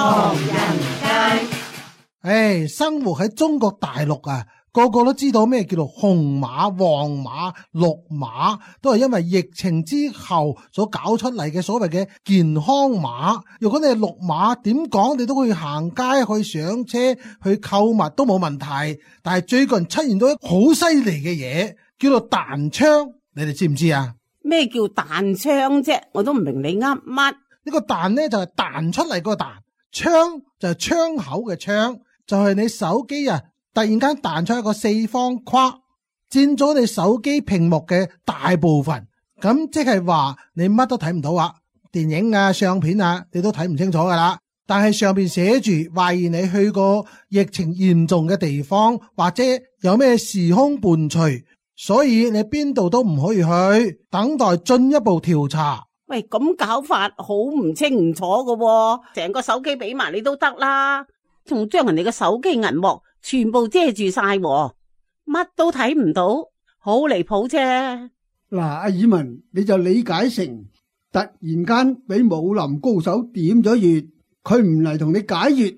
唐人街。生活喺中國大陸啊，個個都知道咩叫做紅碼、黃碼、綠碼，都係因為疫情之後所搞出嚟嘅所謂嘅健康碼。如果你係綠碼，點講你都可以行街、去上車、去購物都冇問題。但係最近出現到一個好犀利嘅嘢，叫做彈槍，你哋知唔知啊？咩叫彈槍啫？我都唔明你噏乜。呢個彈呢就係彈出嚟個彈，槍就係槍口嘅槍，就係你手機啊突然間彈出一個四方框，佔咗你手機屏幕嘅大部分，咁即係話你乜都睇唔到啊，電影啊、相片啊，你都睇唔清楚噶啦。但係上邊寫住懷疑你去過疫情嚴重嘅地方，或者有咩時空伴隨，所以你邊度都唔可以去，等待進一步調查。喂，咁搞法好唔清唔楚㗎喎，成個手機俾埋你都得啦，仲將人哋嘅手機銀幕全部遮住晒，乜都睇唔到，好離譜啫。嗱，阿爾文，你就理解成突然間俾武林高手點咗穴，佢唔嚟同你解穴，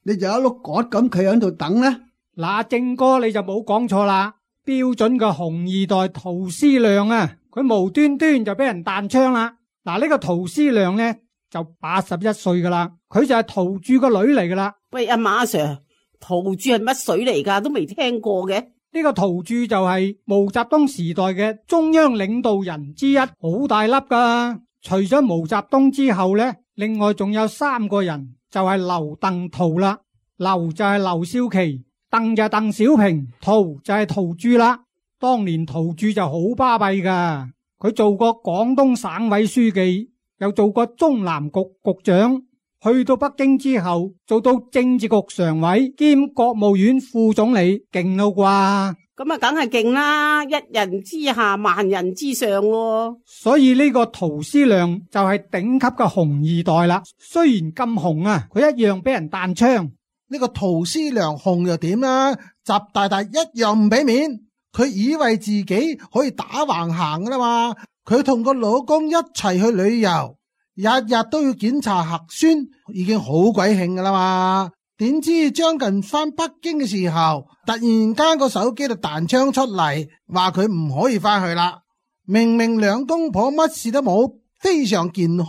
你就一碌葛咁企喺度等呢？嗱，正哥你就冇講錯啦，標準嘅紅二代陶思亮啊，佢無端端就俾人彈槍啦。嗱，呢個陶思亮呢就81歲噶啦，佢就係陶鑄個女嚟噶啦。喂，阿馬 Sir， 陶鑄係乜水嚟噶？都未聽過嘅。呢個陶鑄就係毛澤東時代嘅中央領導人之一，好大粒噶。除咗毛澤東之後呢，另外仲有3個人，就係劉鄧陶啦。劉就係劉少奇，鄧就係鄧小平，陶就係陶鑄啦。當年陶鑄就好巴閉噶。佢做過廣東省委書記，又做過中南局局長，去到北京之後做到政治局常委兼國務院副總理，勁咯啩？咁啊，梗係勁啦，一人之下萬人之上喎。所以呢個陶思亮就係頂級嘅紅二代啦。雖然咁紅啊，佢一樣俾人彈槍。呢個陶思亮紅又點啦？習大大一樣唔俾面。佢以為自己可以打橫行噶啦嘛，佢同個老公一齊去旅遊，日日都要檢查核酸，已經好鬼興噶啦嘛。點知將近翻北京嘅時候，突然間個手機就彈槍出嚟，話佢唔可以翻去啦。明明兩公婆乜事都冇，非常健康，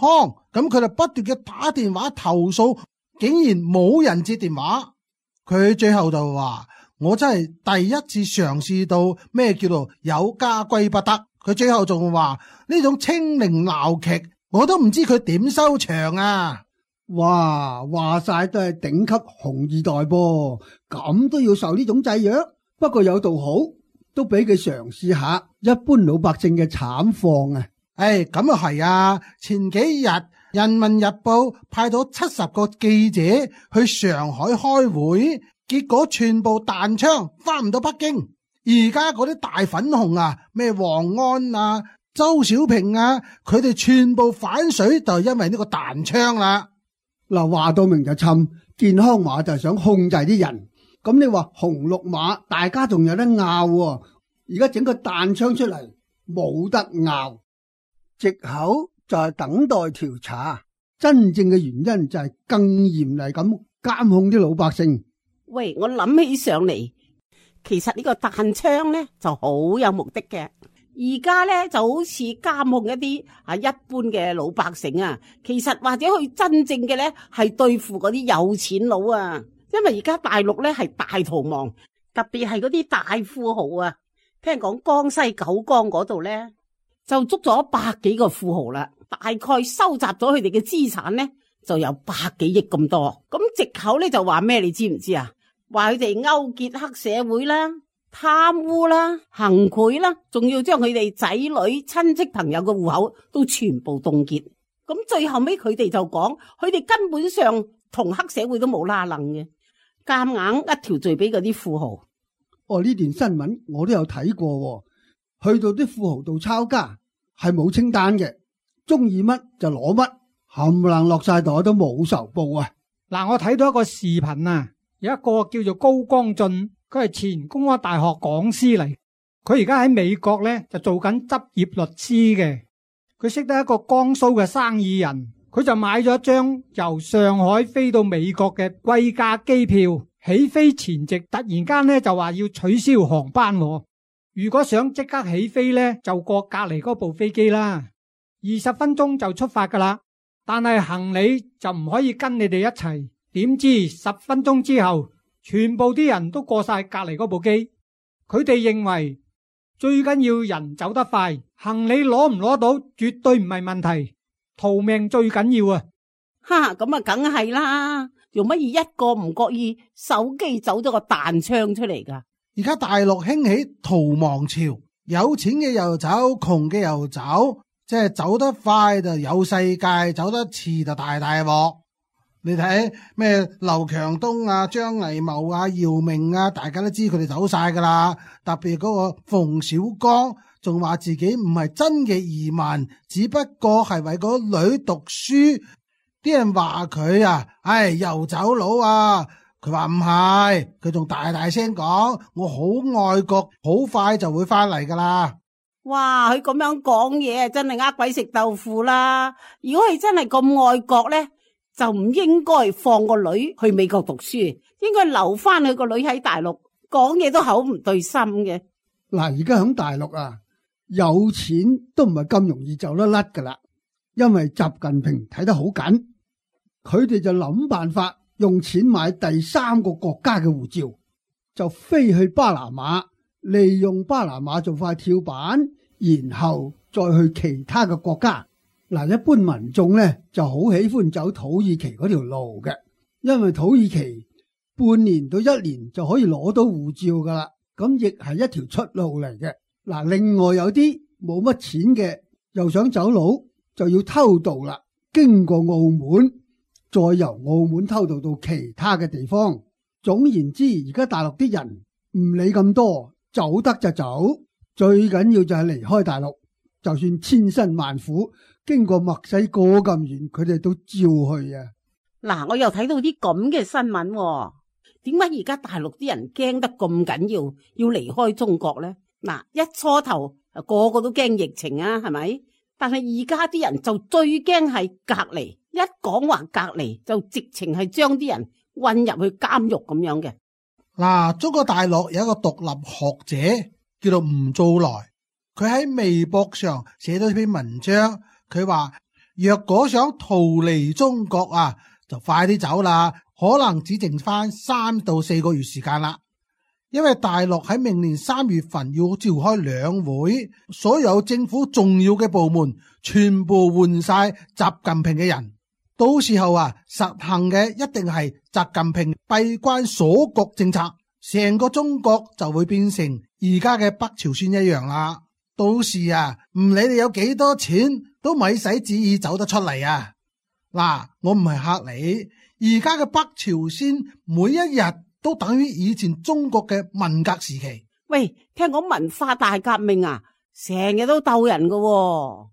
咁佢就不斷嘅打電話投訴，竟然冇人接電話。佢最後就話：我真係第一次嘗試到咩叫做有家歸不得。佢最後仲話呢種清零鬧劇，我都唔知佢點收場啊！哇，話晒都係頂級紅二代噃，咁都要受呢種制約。不過有道好，都俾佢嘗試下一般老百姓嘅慘況啊！咁啊係啊！前幾日《人民日報》派到70個記者去上海開會。結果全部彈槍翻唔到北京，而家嗰啲大粉紅啊，咩王安啊、周小平啊，佢哋全部反水就係因為呢個彈槍啦。嗱，話到明就侵健康碼就係想控制啲人，咁你話紅綠碼大家仲有得拗喎，而家整個彈槍出嚟冇得拗，藉口就係等待調查，真正嘅原因就係更嚴厲咁監控啲老百姓。喂，我諗起上嚟，其實呢個彈槍呢就好有目的嘅。而家呢就好似監控一啲一般嘅老百姓啊，其實或者佢真正嘅呢係對付嗰啲有錢佬啊。因為而家大陸呢係大逃亡，特別係嗰啲大富豪啊。聽講江西九江嗰度呢就捉咗100幾個富豪啦，大概收集咗佢哋嘅資產呢就有100幾億咁多。咁藉口呢就話咩？你知唔知啊？話佢哋勾結黑社會啦、貪污啦、行賄啦，仲要將佢哋仔女、親戚朋友嘅戶口都全部凍結。咁最後尾佢哋就講，佢哋根本上同黑社會都冇拉楞嘅，夾硬一條罪俾嗰啲富豪。呢段新聞我都有睇過，去到啲富豪度抄家係冇清單嘅，中意乜就攞乜，冚唪唥落晒袋都冇仇報啊！嗱，我睇到一個視頻啊。有一個叫做高光進，佢係前公開大學講師嚟，佢而家喺美國呢就做緊執業律師嘅。佢識得一個江蘇嘅生意人，佢就買咗一張由上海飛到美國嘅貴價機票，起飛前夕突然間呢就話要取消航班喎。如果想即刻起飛呢，就過隔籬嗰部飛機啦，20分鐘就出發噶啦。但係行李就唔可以跟你哋一齊。點知10分鐘之後，全部啲人都過晒隔籬嗰部機。佢哋認為最緊要人走得快，行李攞唔攞到絕對唔係問題，逃命最緊要啊！哈，咁啊，梗係啦，用乜嘢一個唔覺意，手機走咗個彈槍出嚟噶？而家大陸興起逃亡潮，有錢嘅又走，窮嘅又走，即係走得快就有世界，走得遲就大鑊。你睇咩劉強東啊、張藝謀啊、姚明啊，大家都知佢哋走晒噶啦。特別嗰個馮小剛仲話自己唔係真嘅移民，只不過係為個女讀書。啲人話佢啊，又走佬啊。佢話唔係，佢仲大聲講，我好愛國，好快就會翻嚟噶啦。哇，佢咁樣講嘢真係呃鬼食豆腐啦！如果佢真係咁愛國咧，就唔應該放個女去美國讀書，應該留翻佢個女喺大陸，講嘢都口唔對心嘅。嗱，而家喺大陸啊，有錢都唔係咁容易走得甩噶啦，因為習近平睇得好緊，佢哋就諗辦法用錢買第3個國家嘅護照，就飛去巴拿馬，利用巴拿馬做塊跳板，然後再去其他嘅國家。嗱，一般民眾咧就好喜歡走土耳其嗰條路嘅，因為土耳其半年到1年就可以攞到護照噶啦，咁亦係一條出路嚟嘅。嗱，另外有啲冇乜錢嘅又想走佬，就要偷渡啦，經過澳門，再由澳門偷渡到其他嘅地方。總言之，而家大陸啲人唔理咁多，走得就走，最緊要就係離開大陸，就算千辛萬苦經過墨西哥咁遠，佢哋都照去啊！嗱，我又睇到啲咁嘅新聞喎，點解而家大陸啲人驚得咁緊要離開中國呢？嗱，一初頭個個都驚疫情啊，係咪？但係而家啲人就最驚係隔離，一講話隔離就直情係將啲人運入去監獄咁樣嘅。嗱，中國大陸有一個獨立學者叫做吳祖來，佢喺微博上寫咗一篇文章，佢話若果想逃離中國啊，就快啲走啦，可能只剩翻3到4個月時間啦。因為大陸喺明年3月份要召開兩會，所有政府重要嘅部門全部換晒習近平嘅人，到時候啊，實行嘅一定係習近平閉關鎖國政策，成個中國就會變成而家嘅北朝鮮一樣啦。到時啊，唔理你有幾多錢，都咪使旨意走得出嚟啊！嗱，我唔係嚇你，而家嘅北朝鮮每一日都等於以前中國嘅文革時期。喂，聽講文化大革命啊，成日都鬥人㗎喎。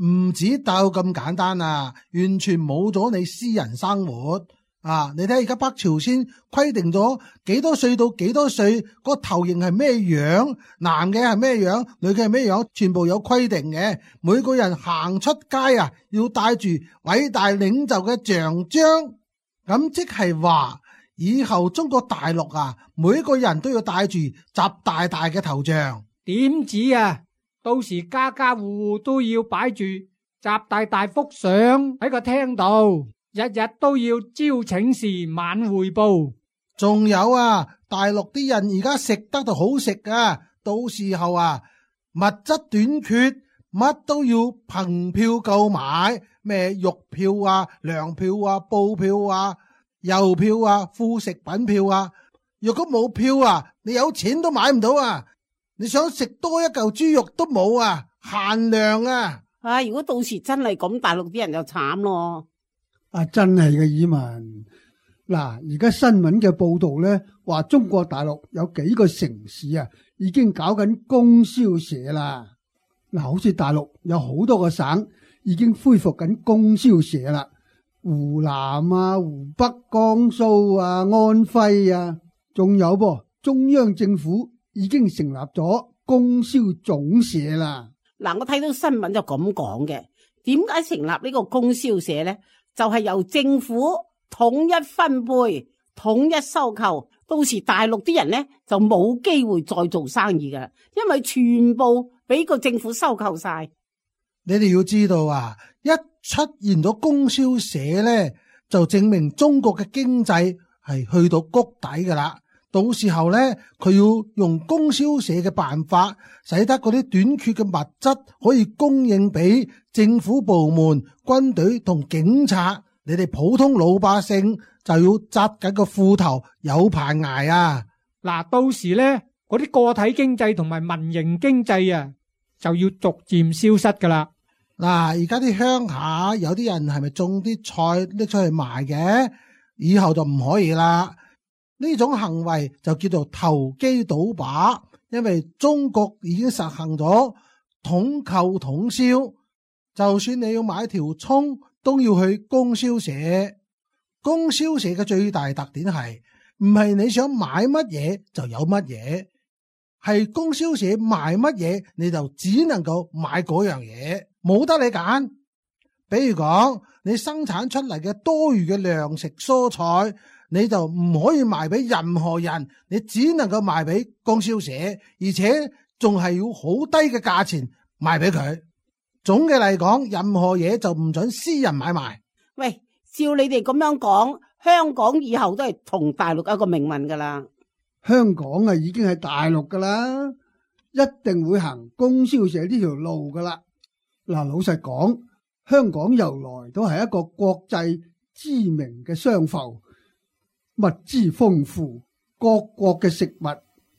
唔止鬥咁簡單啊，完全冇咗你私人生活啊！你睇而家北朝鮮規定咗幾多歲到幾多歲，個頭型係咩樣，男嘅係咩樣，女嘅係咩樣，全部有規定嘅。每個人行出街啊，要帶住偉大領袖嘅像章，咁即係話以後中國大陸啊，每個人都要帶住習大大嘅頭像。點止啊！到時家家戶戶都要擺住習大大幅相喺個廳度，日日都要朝請示晚匯報。仲有啊，大陸啲人而家食得就好食啊，到時候啊，物質短缺，乜都要憑票購買，咩肉票啊、糧票啊、布票啊、郵票啊、副食品票啊。若果冇票啊，你有錢都買唔到啊！你想食多一嚿豬肉都冇啊，限量啊！如果到時真係咁，大陸啲人就慘咯。真係嘅，以文。嗱，而家新聞嘅報道咧，話中國大陸有幾個城市啊，已經搞緊供銷社啦。嗱，好似大陸有好多個省已經恢復緊供銷社啦，湖南啊、湖北、江蘇啊、安徽啊，仲有噃，中央政府已經成立咗供銷總社啦。嗱，我睇到新聞就咁講嘅，點解成立呢個供銷社呢？就係由政府統一分配、統一收購，到時大陸啲人呢就冇機會再做生意噶，因為全部俾個政府收購晒。你哋要知道啊，一出現咗供銷社咧，就證明中國嘅經濟係去到谷底噶啦。到時候咧，佢要用供銷社嘅辦法，使得嗰啲短缺嘅物質可以供應俾政府部門、軍隊同警察。你哋普通老百姓就要紮緊個褲頭，有排捱啊！嗱，到時咧，嗰啲個體經濟同埋民營經濟啊，就要逐漸消失噶啦。嗱，而家啲鄉下有啲人係咪種啲菜拎出去賣嘅？以後就唔可以啦。呢種行為就叫做投機倒把，因為中國已經實行咗統購統銷，就算你要買條蔥，都要去供銷社。供銷社嘅最大特點係唔係你想買乜嘢就有乜嘢，係供銷社賣乜嘢你就只能夠買嗰樣嘢，冇得你揀。比如講你生產出嚟嘅多餘嘅糧食蔬菜，你就唔可以賣俾任何人，你只能夠賣俾供銷社，而且仲係要好低嘅價錢賣俾佢。總嘅嚟講，任何嘢就唔准私人買賣。喂，照你哋咁樣講，香港以後都係同大陸一個命運噶啦。香港啊，已經係大陸噶啦，一定會行供銷社呢條路噶啦。嗱，老實講，香港由來都係一個國際知名嘅商埠，物資豐富，各國嘅食物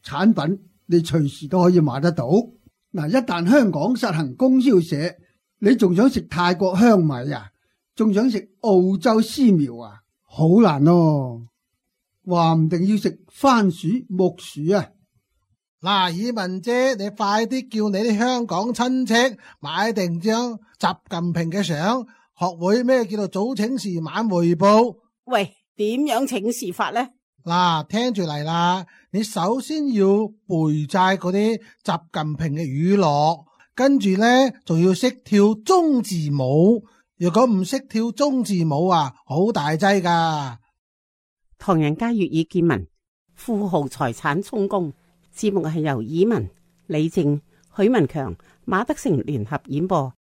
產品你隨時都可以買得到。嗱，一旦香港實行供銷社，你仲想食泰國香米啊？仲想食澳洲絲苗啊？好難咯，話唔定要食番薯、木薯啊！嗱，以文姐，你快啲叫你啲香港親戚買定張習近平嘅相，學會咩叫做早請示晚匯報。喂，點樣請示法呢？嗱，聽住嚟啦，你首先要背晒嗰啲習近平嘅語錄，跟住咧仲要識跳中字舞。如果唔識跳中字舞啊，好大劑噶。唐人街粵語見聞，富豪財產充公。節目係由以文、李靜、許文強、馬德成聯合演播，